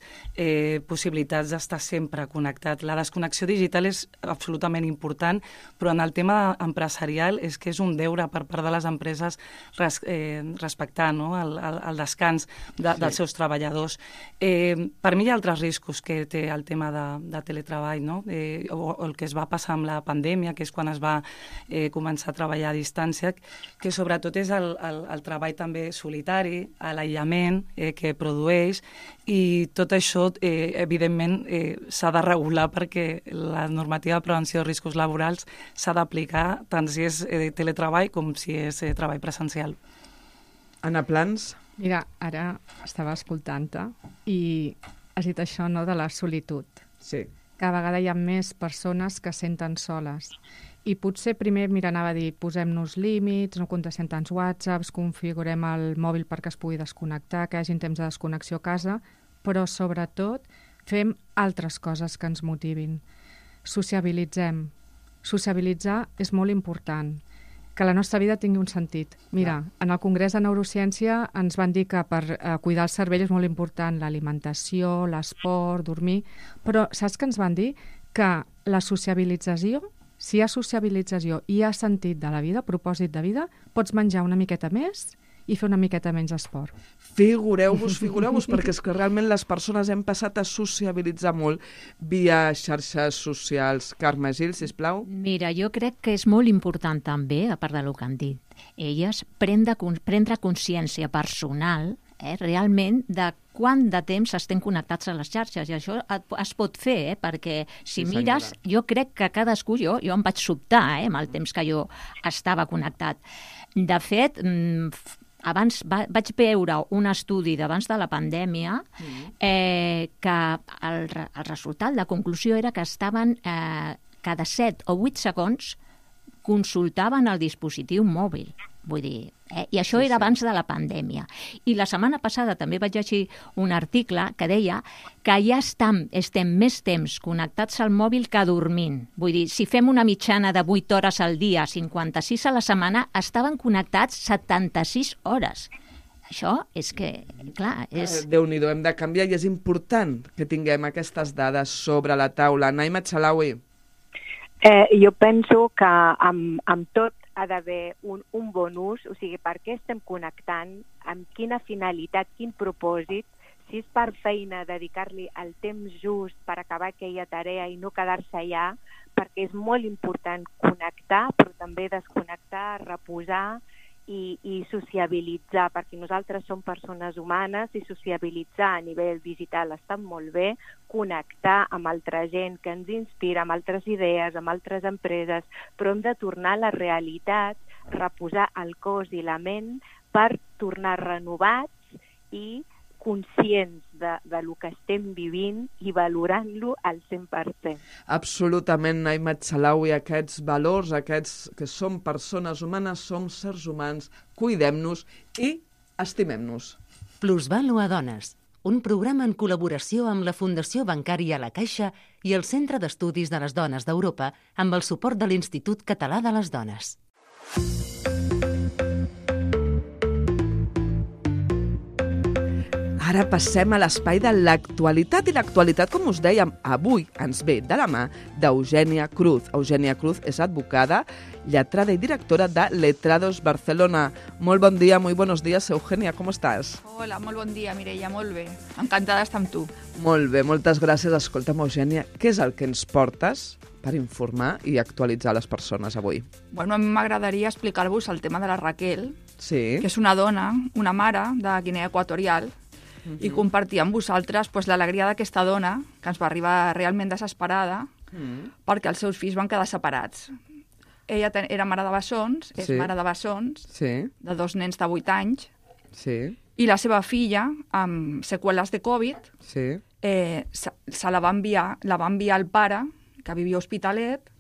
possibilitats d'estar sempre connectat. La desconnexió digital és absolutament important, però en el tema empresarial és que és un deure per part de les empreses respectar el descans dels seus treballadors. Per mi hi ha altres riscos que té el tema de teletreball, no? O el que es va passar amb la pandèmia, que és quan es va començar a treballar a distància, que sobretot és el treball també solitari, l'aïllament que produeix, i tot això, evidentment, s'ha de regular perquè la normativa de prevenció de riscos laborals s'ha d'aplicar tant si és teletreball com si és treball presencial. Anna Plans? Mira, ara estava escoltant-te i has dit això, no?, de la solitud. Sí. Cada vegada hi ha més persones que senten soles. I potser primer, anava a dir, posem-nos límits, no contestem tants whatsapps, configurem el mòbil perquè es pugui desconnectar, que hi hagi temps de desconnexió a casa, però sobretot fem altres coses que ens motivin. Sociabilitzem. Sociabilitzar és molt important. Que la nostra vida tingui un sentit. Mira, en el Congrés de Neurociència ens van dir que per cuidar el cervell és molt important l'alimentació, l'esport, dormir, però saps què ens van dir? Que la sociabilització, si hi ha sociabilització i hi ha sentit de la vida, propòsit de vida, pots menjar una miqueta més i fer una miqueta menys esport. Figureu-vos, perquè és que realment les persones hem passat a sociabilitzar molt via xarxes socials. Carme Gil, sisplau. Mira, jo crec que és molt important també, a part del que han dit, elles prendre consciència personal realment de quant de temps estem connectats a les xarxes, i això es pot fer, perquè si mires, jo crec que cadascú, jo em vaig sobtar amb el temps que jo estava connectat. De fet, abans vaig veure un estudi d'abans de la pandèmia que el resultat, la conclusió era que estaven cada 7 o 8 segons consultaven el dispositiu mòbil. Vull dir, i això era abans de la pandèmia. I la setmana passada també vaig llegir un article que deia que ja estem més temps connectats al mòbil que dormint. Vull dir, si fem una mitjana de 8 hores al dia, 56 a la setmana, estaven connectats 76 hores. Això és que, clar, és... Déu-n'hi-do, hem de canviar i és important que tinguem aquestes dades sobre la taula. Naima Chalaui. Jo penso que amb tot ha d'haver un bon ús, o sigui, per què estem connectant, amb quina finalitat, quin propòsit, si és per feina, dedicar-li el temps just per acabar aquella tarea i no quedar-se allà, perquè és molt important connectar, però també desconnectar, reposar i sociabilitzar, perquè nosaltres som persones humanes i sociabilitzar a nivell digital està molt bé, connectar amb altra gent que ens inspira, amb altres idees, amb altres empreses, però hem de tornar a la realitat, reposar el cos i la ment per tornar renovats i conscients de lo que estem vivint i valorant-lo al 100%. Absolutament, Naima Chalaui, aquests valors, aquests que som persones humanes, som sers humans, cuidem-nos i estimem-nos. Plusvàlua Dones, un programa en col·laboració amb la Fundació Bancària La Caixa i el Centre d'Estudis de les Dones d'Europa amb el suport de l'Institut Català de les Dones. Ara passem a l'espai de l'actualitat, i l'actualitat, com us dèiem, avui ens ve de la mà d'Eugènia Cruz. Eugènia Cruz és advocada, lletrada i directora de Letrados Barcelona. Molt bon dia, muy buenos días, Eugènia, com estàs? Hola, molt bon dia, Mireia, molt bé. Encantada d'estar amb tu. Molt bé, moltes gràcies. Escolta'm, Eugènia, què és el que ens portes per informar i actualitzar les persones avui? Bueno, a mi m'agradaria explicar-vos el tema de la Raquel, sí, que és una dona, una mare de Guinea Equatorial, i compartir amb vosaltres l'alegria d'aquesta dona, que ens va arribar realment desesperada, perquè els seus fills van quedar separats. Ella era mare de bessons, és mare de bessons, de 2 nens de 8 anys, i la seva filla, amb seqüeles de Covid, se la va enviar al pare, que vivia a Hospitalet,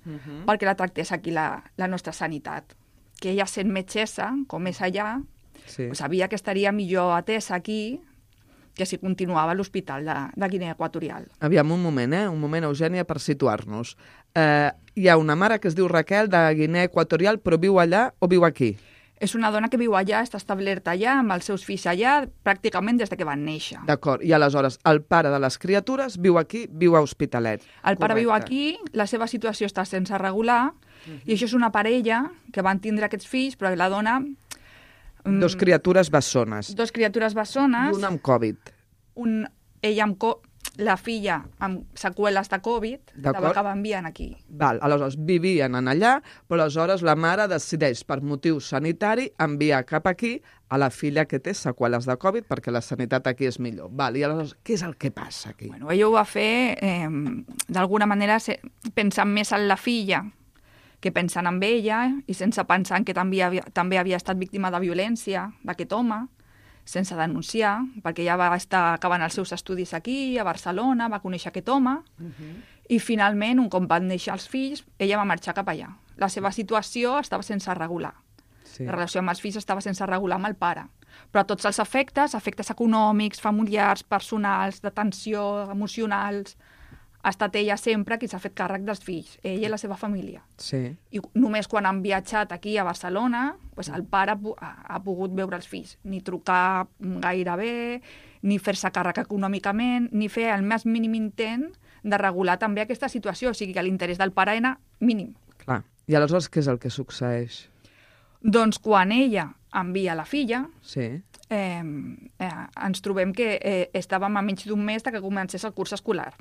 perquè la tractés aquí la nostra sanitat. Que ella, sent metgessa, com és allà, sabia que estaria millor atesa aquí que si continuava a l'hospital de Guinea Equatorial. Aviam, un moment, Eugènia, per situar-nos. Hi ha una mare que es diu Raquel, de Guinea Equatorial, però viu allà o viu aquí? És una dona que viu allà, està establerta allà, amb els seus fills allà, pràcticament des que van néixer. D'acord, i aleshores el pare de les criatures viu aquí, viu a Hospitalet. El pare viu aquí, la seva situació està sense regular, i això és una parella que van tindre aquests fills, però la dona... Dos criatures bessones. Dos criatures bessones. I una amb Covid. Ella la filla amb seqüeles de Covid, la va acabar enviant aquí. Val, aleshores vivien en allà, però aleshores la mare decideix, per motiu sanitari, enviar cap aquí a la filla que té seqüeles de Covid, perquè la sanitat aquí és millor. Val, i aleshores, què és el que passa aquí? Bueno, ella ho va fer, d'alguna manera, pensant més en la filla que pensant en ella, i sense pensar en que també havia estat víctima de violència d'aquest home, sense denunciar, perquè ja va estar acabant els seus estudis aquí, a Barcelona, va conèixer aquest home, i finalment, un cop van néixer els fills, ella va marxar cap allà. La seva situació estava sense regular. Sí. La relació amb els fills estava sense regular amb el pare. Però tots els efectes econòmics, familiars, personals, d'atenció, emocionals, ha estat ella sempre qui s'ha fet càrrec dels fills, ella i la seva família. Sí. I només quan han viatjat aquí a Barcelona, el pare ha pogut veure els fills, ni trucar gaire bé, ni fer-se càrrec econòmicament, ni fer el més mínim intent de regular també aquesta situació, o sigui que l'interès del pare era mínim. Clar. I aleshores què és el que succeeix? Doncs quan ella envia la filla, ens trobem que estàvem a menys d'un mes que comencés el curs escolar.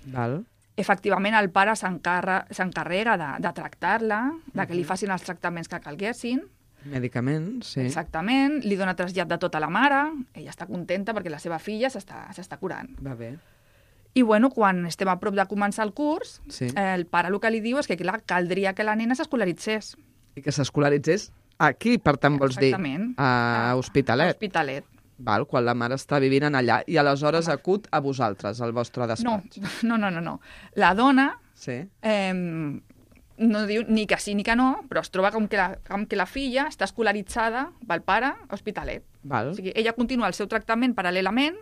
Val. Efectivament, el pare s'encarrega de tractar-la, de que li facin els tractaments que calguessin. Medicaments, sí. Exactament, li dona trasllat de tota la mare, ella està contenta perquè la seva filla s'està curant. Va bé. I bueno, quan estem a prop de començar el curs, el pare el que li diu és que clar, caldria que la nena s'escolaritzés. I que s'escolaritzés aquí, per tant, vols dir? Exactament. A Hospitalet. A Hospitalet. Val, quan la mare està vivint en allà, i aleshores acut a vosaltres, al vostre despatx. No. La dona no diu ni que sí ni que no, però es troba com que la filla està escolaritzada pel pare a Hospitalet. Val. O sigui, ella continua el seu tractament paral·lelament,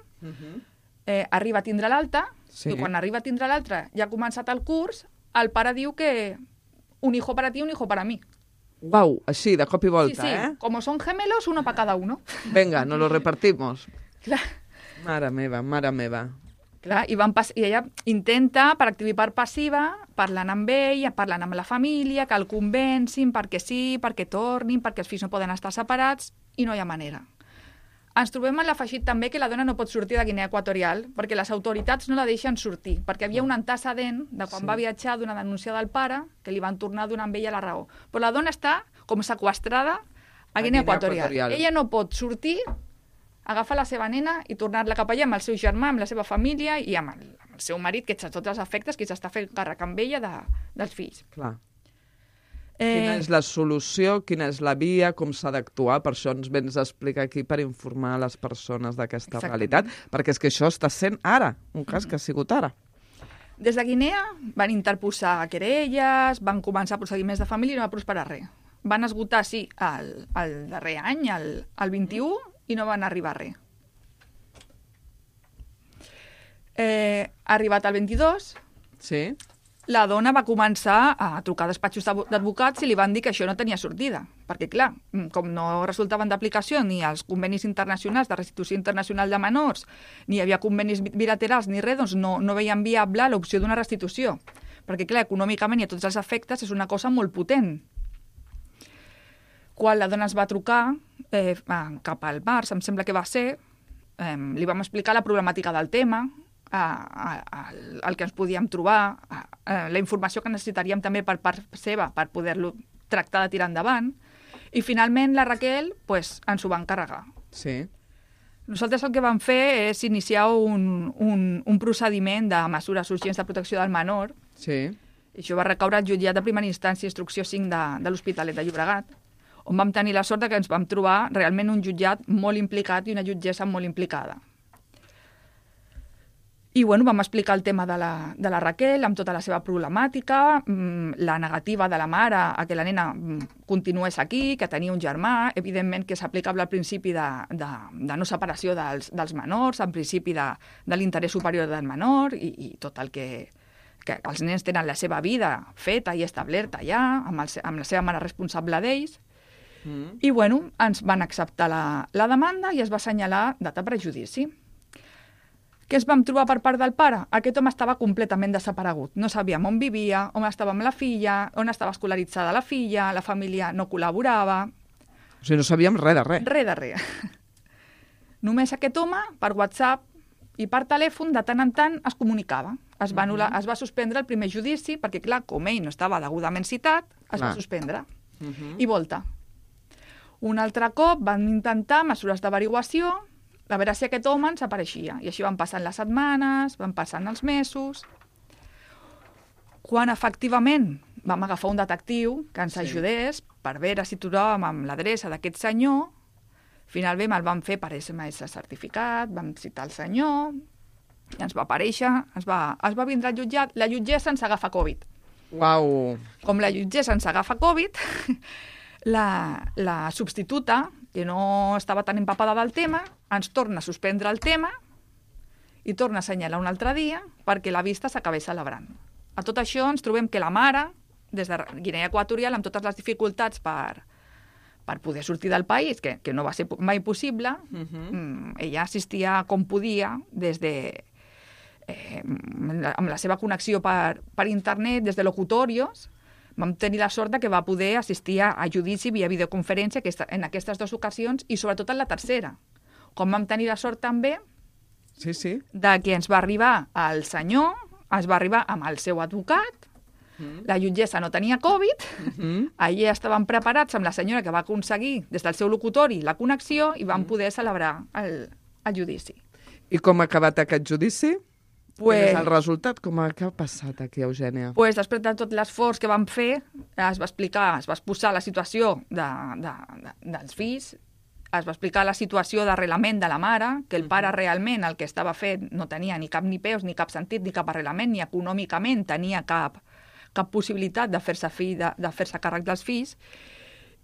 arriba a tindre l'alta, i quan arriba a tindre l'altra ja ha començat el curs, el pare diu que un hijo para ti, un hijo para mí. Uau, així, de cop i volta, sí. Como son gemelos, uno para cada uno. Venga, nos lo repartimos. Clar. Mare meva. Clar, i ella intenta, per activa i per passiva, parlant amb ell, parlant amb la família, que el convencin perquè sí, perquè tornin, perquè els fills no poden estar separats, i no hi ha manera. Ens trobem en l'afegit també que la dona no pot sortir de Guinea Equatorial perquè les autoritats no la deixen sortir, perquè havia un antecedent de quan va viatjar d'una denúncia del pare que li van tornar a donar amb ella la raó. Però la dona està com seqüestrada a Guinea Equatorial. Ella no pot sortir, agafar la seva nena i tornar-la cap allà amb el seu germà, amb la seva família i amb el seu marit, que és a tots els efectes, que s'està fent càrrec amb ella dels fills. Clar. Quina és la solució, quina és la via, com s'ha d'actuar? Per això ens vens a explicar aquí per informar les persones d'aquesta realitat, perquè és que això està sent ara, un cas que ha sigut ara. Des de Guinea van interposar querelles, van començar procediments de família i no va prosperar res. Van esgotar, sí, el darrer any, el 21, i no van arribar a res. Arribat al 22... Sí. La dona va començar a trucar a despatxos d'advocats i li van dir que això no tenia sortida. Perquè, clar, com no resultaven d'aplicació ni els convenis internacionals de restitució internacional de menors, ni hi havia convenis bilaterals ni res, doncs no veien viable l'opció d'una restitució. Perquè, clar, econòmicament i a tots els efectes és una cosa molt potent. Quan la dona es va trucar cap al març, em sembla que va ser, li vam explicar la problemàtica del tema, el que ens podíem trobar, la informació que necessitaríem també per part seva per poder-lo tractar de tirar endavant, i finalment la Raquel ens ho va encarregar. Sí. Nosaltres el que vam fer és iniciar un procediment de mesures urgents de protecció del menor, sí. I això va recaure al jutjat de primera instància instrucció 5 de l'Hospitalet de Llobregat, on vam tenir la sort que ens vam trobar realment un jutjat molt implicat i una jutgessa molt implicada. I vam explicar el tema de la Raquel amb tota la seva problemàtica, la negativa de la mare a que la nena continués aquí, que tenia un germà, evidentment que és aplicable al principi de no separació dels menors, al principi de l'interès superior del menor i tot el que els nens tenen la seva vida feta i establerta ja, amb la seva mare responsable d'ells. I ens van acceptar la demanda i es va assenyalar data per a judici. Què ens vam trobar per part del pare? Aquest home estava completament desaparegut. No sabíem on vivia, on estava amb la filla, on estava escolaritzada la filla, la família no col·laborava. O sigui, no sabíem res de res. Res de res. Només aquest home, per WhatsApp i per telèfon, de tant en tant es comunicava. Es va suspendre el primer judici, perquè, clar, com ell no estava degudament citat, es va suspendre. I volta. Un altre cop van intentar mesures d'averiguació, a veure si aquest home ens apareixia. I així van passant les setmanes, van passant els mesos. Quan efectivament vam agafar un detectiu que ens ajudés per veure si trobàvem amb l'adreça d'aquest senyor, finalment el vam fer per SMS certificat, vam citar el senyor, i ens va aparèixer, es va vindre al jutjat, la jutgessa ens agafa Covid. Uau! Com la jutgessa ens agafa Covid, la substituta, que no estava tan empapada del tema, ens torna a suspendre el tema i torna a assenyalar un altre dia perquè la vista s'acabés celebrant. A tot això ens trobem que la mare, des de Guinea Equatorial, amb totes les dificultats per poder sortir del país, que no va ser mai possible, ella assistia com podia amb la seva connexió per internet, des de locutorios. Vam tenir la sort que va poder assistir a judici via videoconferència en aquestes 2 ocasions i sobretot en la tercera. Com vam tenir la sort també de que ens va arribar el senyor, es va arribar amb el seu advocat, la jutgessa no tenia Covid, allà estaven preparats amb la senyora que va aconseguir des del seu locutori la connexió i van poder celebrar el judici. I com ha acabat aquest judici? Quin és el resultat? Què ha passat aquí, Eugènia? Després de tot l'esforç que vam fer, es va exposar la situació dels fills, es va explicar la situació d'arrelament de la mare, que el pare realment el que estava fent no tenia ni cap ni peus, ni cap sentit, ni cap arrelament, ni econòmicament tenia cap possibilitat de fer-se càrrec dels fills,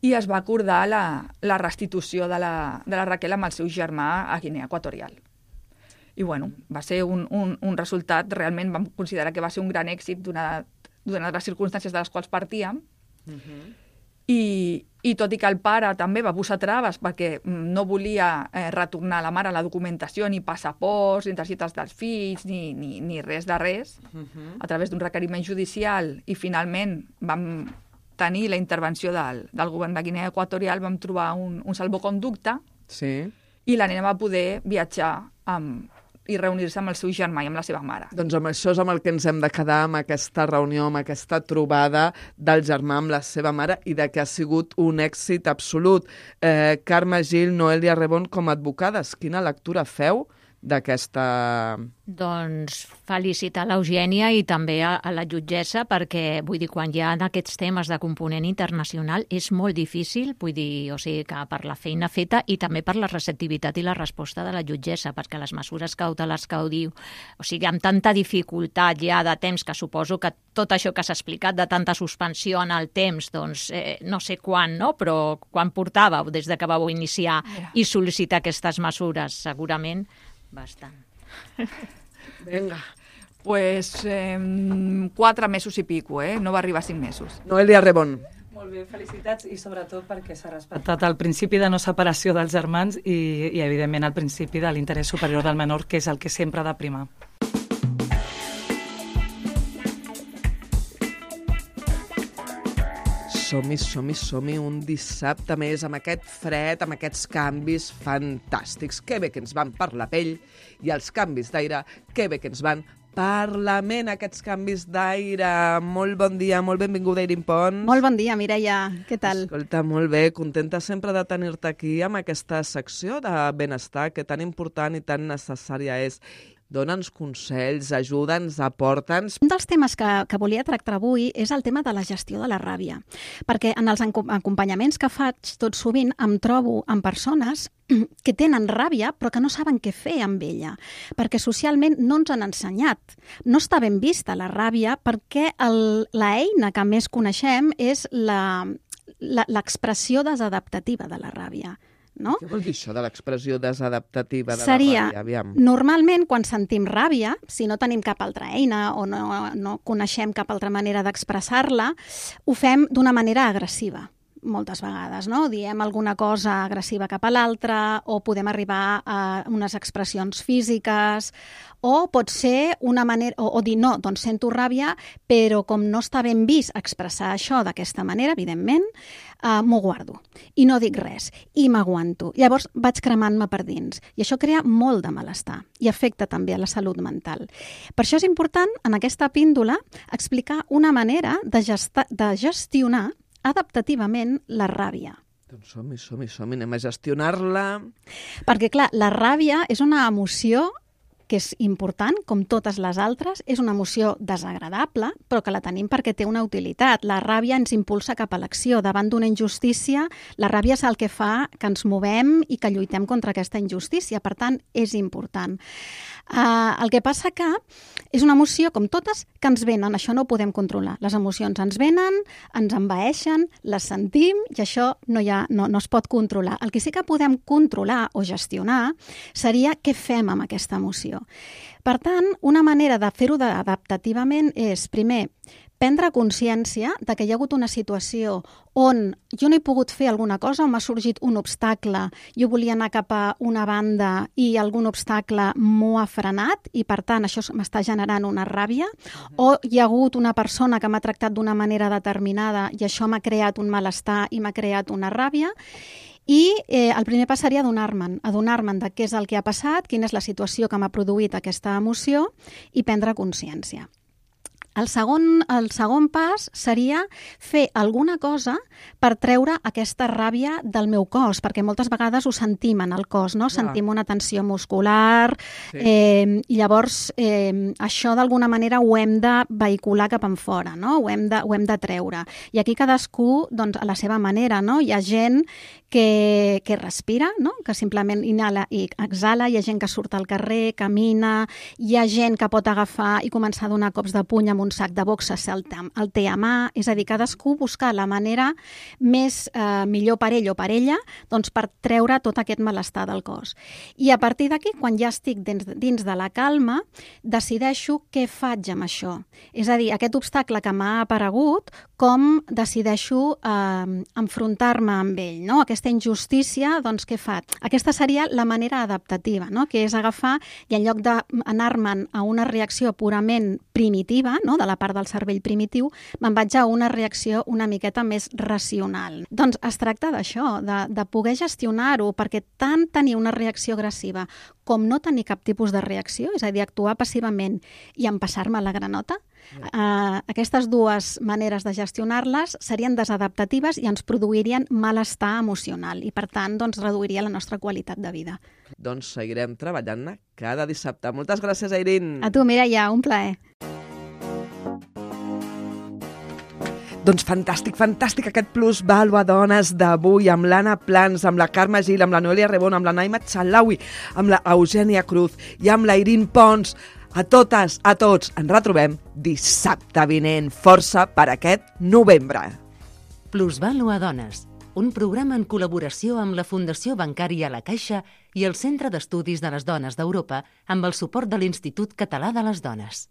i es va acordar la restitució de la Raquel amb el seu germà a Guinea Equatorial. I va ser un resultat, realment vam considerar que va ser un gran èxit donades les circumstàncies de les quals partíem. I tot i que el pare també va posar traves perquè no volia retornar a la mare la documentació, ni passaports, ni targetes dels fills, ni res de res, a través d'un requeriment judicial, i finalment vam tenir la intervenció del govern de Guinea Equatorial, vam trobar un salvoconducte, i la nena va poder viatjar i reunir-se amb el seu germà i amb la seva mare. Doncs amb això és amb el que ens hem de quedar, amb aquesta reunió, amb aquesta trobada del germà amb la seva mare i de que ha sigut un èxit absolut. Carme Gil, Noelia Rebón, com a advocades, quina lectura feu d'aquesta... Doncs felicitar l'Eugènia i també a la jutgessa perquè, vull dir, quan hi ha aquests temes de component internacional és molt difícil, vull dir, o sigui, que per la feina feta i també per la receptivitat i la resposta de la jutgessa, perquè les mesures cautelars que ho diu, o sigui, amb tanta dificultat ja de temps, que suposo que tot això que s'ha explicat de tanta suspensió en el temps, doncs no sé quan, no? Però quan portàveu des de que vau iniciar i sol·licitar aquestes mesures, segurament bastant. Vinga. Pues 4 mesos i pico, no va arribar a 5 mesos. Noelia Rebón. Molt bé, felicitats, i sobretot perquè s'ha respectat el principi de no separació dels germans i evidentment, el principi de l'interès superior del menor, que és el que sempre ha de primar. Som-hi un dissabte més amb aquest fred, amb aquests canvis fantàstics. Que bé que ens van per la pell, i els canvis d'aire, que bé que ens van per la ment, aquests canvis d'aire. Molt bon dia, molt benvinguda, Irin Pons. Molt bon dia, Mireia. Què tal? Escolta, molt bé, contenta sempre de tenir-te aquí amb aquesta secció de benestar que tan important i tan necessària és. Dona'ns consells, ajuda'ns, aporta'ns. Un dels temes que volia tractar avui és el tema de la gestió de la ràbia, perquè en els acompanyaments que faig tot sovint em trobo amb persones que tenen ràbia però que no saben què fer amb ella, perquè socialment no ens han ensenyat. No està ben vista la ràbia perquè l'eina que més coneixem és l'expressió desadaptativa de la ràbia. No? Què vol dir això de l'expressió desadaptativa de Seria, la ràbia? Normalment, quan sentim ràbia, si no tenim cap altra eina o no coneixem cap altra manera d'expressar-la, ho fem d'una manera agressiva. Moltes vegades, no? Diem alguna cosa agressiva cap a l'altra o podem arribar a unes expressions físiques o pot ser una manera, o dir no, doncs sento ràbia, però com no està ben vist expressar això d'aquesta manera, evidentment, m'ho guardo i no dic res i m'aguanto. Llavors vaig cremant-me per dins i això crea molt de malestar i afecta també a la salut mental. Per això és important, en aquesta píndola, explicar una manera de gestionar adaptativament la ràbia. Doncs som-hi, anem a gestionar-la. Perquè, clar, la ràbia és una emoció que és important, com totes les altres, és una emoció desagradable, però que la tenim perquè té una utilitat. La ràbia ens impulsa cap a l'acció. Davant d'una injustícia, la ràbia és el que fa que ens movem i que lluitem contra aquesta injustícia. Per tant, és important. El que passa que és una emoció, com totes, que ens venen. Això no ho podem controlar. Les emocions ens venen, ens envaeixen, les sentim i això no es pot controlar. El que sí que podem controlar o gestionar seria què fem amb aquesta emoció. Per tant, una manera de fer-ho adaptativament és, primer, prendre consciència de que hi ha hagut una situació on jo no he pogut fer alguna cosa, on m'ha sorgit un obstacle, jo volia anar cap a una banda i algun obstacle m'ho ha frenat i, per tant, això m'està generant una ràbia, o hi ha hagut una persona que m'ha tractat d'una manera determinada i això m'ha creat un malestar i m'ha creat una ràbia. I el primer pas seria adonar-me'n de què és el que ha passat, quina és la situació que m'ha produït aquesta emoció i prendre consciència. El segon pas seria fer alguna cosa per treure aquesta ràbia del meu cos, perquè moltes vegades ho sentim en el cos, no? Sentim una tensió muscular, i llavors això d'alguna manera ho hem de vehicular cap enfora, no? Ho hem de treure. I aquí cadascú, doncs, a la seva manera, no? Hi ha gent que respira, no? Que simplement inhala i exhala, hi ha gent que surt al carrer, camina, hi ha gent que pot agafar i començar a donar cops de puny amb un sac de boxes, el té a mà, és a dir, cadascú buscar la manera més millor per ell o per ella, doncs per treure tot aquest malestar del cos. I a partir d'aquí, quan ja estic dins de la calma, decideixo què faig amb això. És a dir, aquest obstacle que m'ha aparegut, com decideixo enfrontar-me amb ell, no? Aquesta injustícia, doncs què faig? Aquesta seria la manera adaptativa, no? Que és agafar i en lloc d'anar-me'n a una reacció purament primitiva, no? De la part del cervell primitiu, me'n vaig a una reacció una miqueta més racional. Doncs es tracta d'això, de poder gestionar-ho, perquè tant tenir una reacció agressiva com no tenir cap tipus de reacció, és a dir, actuar passivament i empassar-me la granota, aquestes dues maneres de gestionar-les serien desadaptatives i ens produirien malestar emocional i, per tant, doncs, reduiria la nostra qualitat de vida. Doncs seguirem treballant-ne cada dissabte. Moltes gràcies, Airín. A tu, Mireia, un plaer. Doncs fantàstic aquest Plus Vàlua Dones d'avui amb l'Anna Plans, amb la Carme Gil, amb la Noelia Rebón, amb la Naima Txalaui, amb la Eugènia Cruz i amb la Airín Pons. A totes, a tots, ens retrobem dissabte vinent. Força per aquest novembre. Plus Vàlua Dones, un programa en col·laboració amb la Fundació Bancària La Caixa i el Centre d'Estudis de les Dones d'Europa amb el suport de l'Institut Català de les Dones.